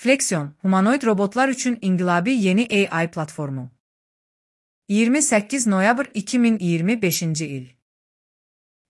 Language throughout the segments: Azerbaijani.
Flexion, humanoid robotlar üçün inqilabi yeni AI platformu. 28 noyabr 2025-ci il.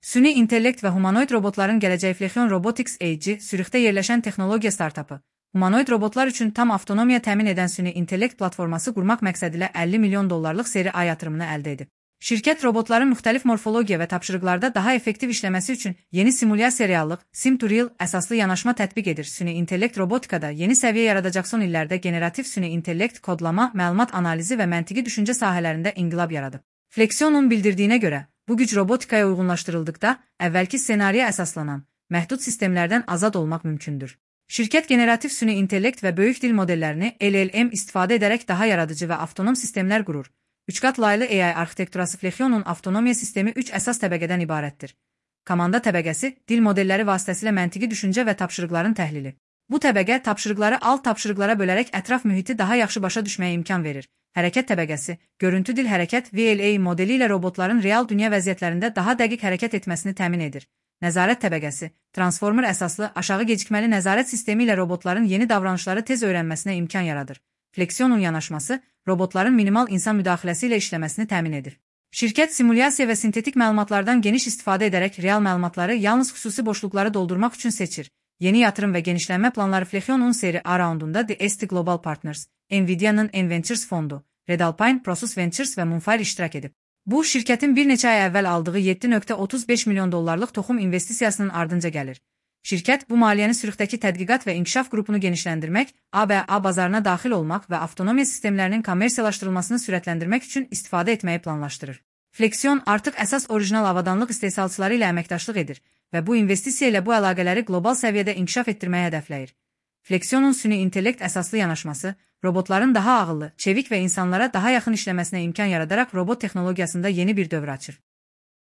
Süni intellekt və humanoid robotların gələcəyi Flexion Robotics AG, Sürixdə yerləşən texnologiya startapı, humanoid robotlar üçün tam avtonomiya təmin edən süni intellekt platforması qurmaq məqsədilə $50 milyon seri A yatırımını əldə edib. Şirkət robotların müxtəlif morfologiya və tapşırıqlarda daha effektiv işləməsi üçün yeni simulyasiya reallıq, Sim-to-Real əsaslı yanaşma tətbiq edir. Süni intellekt robotikada yeni səviyyə yaradacaq, son illərdə generativ süni intellekt kodlama, məlumat analizi və məntiqi düşüncə sahələrində inqilab yaradıb. Flexion'un bildirdiyinə görə, bu güc robotikaya uyğunlaşdırıldıqda əvvəlki ssenariyə əsaslanan, məhdud sistemlərdən azad olmaq mümkündür. Şirkət generativ süni intellekt və böyük dil modellərini LLM istifadə edərək daha yaradıcı və avtonom sistemlər qurur. 3 qat laylı AI arxitekturası Flexion'un avtonomiya sistemi 3 əsas təbəqədən ibarətdir. Komanda təbəqəsi, dil modelləri vasitəsilə məntiqi düşüncə və tapşırıqların təhlili. Bu təbəqə tapşırıqları alt tapşırıqlara bölərək ətraf mühiti daha yaxşı başa düşməyə imkan verir. Hərəkət təbəqəsi, görüntü dil hərəkət VLA modeli ilə robotların real dünya vəziyyətlərində daha dəqiq hərəkət etməsini təmin edir. Nəzarət təbəqəsi, transformer əsaslı aşağı gecikməli nəzarət sistemi ilə robotların yeni davranışları tez öyrənməsinə imkan yaradır. Flexion'un yanaşması, robotların minimal insan müdaxiləsi ilə işləməsini təmin edir. Şirkət simulyasiya və sintetik məlumatlardan geniş istifadə edərək real məlumatları yalnız xüsusi boşluqları doldurmaq üçün seçir. Yeni yatırım və genişlənmə planları Flexion'un seri A raundunda The ST Global Partners, Nvidia'nın N-Ventures fondu, Red Alpine, Prosus Ventures və Moonfire iştirak edib. Bu, şirkətin bir neçə ay əvvəl aldığı $7.35 milyon toxum investisiyasının ardınca gəlir. Şirkət bu maliyyəni Sürixdəki tədqiqat və inkişaf qrupunu genişləndirmək, A bazarına daxil olmaq və avtonomiya sistemlərinin kommersiyalaşdırılmasını sürətləndirmək üçün istifadə etməyi planlaşdırır. Flexion artıq əsas orijinal avadanlıq istehsalçıları ilə əməkdaşlıq edir və bu investisiya ilə bu əlaqələri qlobal səviyyədə inkişaf etdirməyi hədəfləyir. Flexion'un süni intellekt əsaslı yanaşması, robotların daha ağıllı, çevik və insanlara daha yaxın işləməsinə imkan yaradaraq robot texnologiyasında yeni bir dövr açır.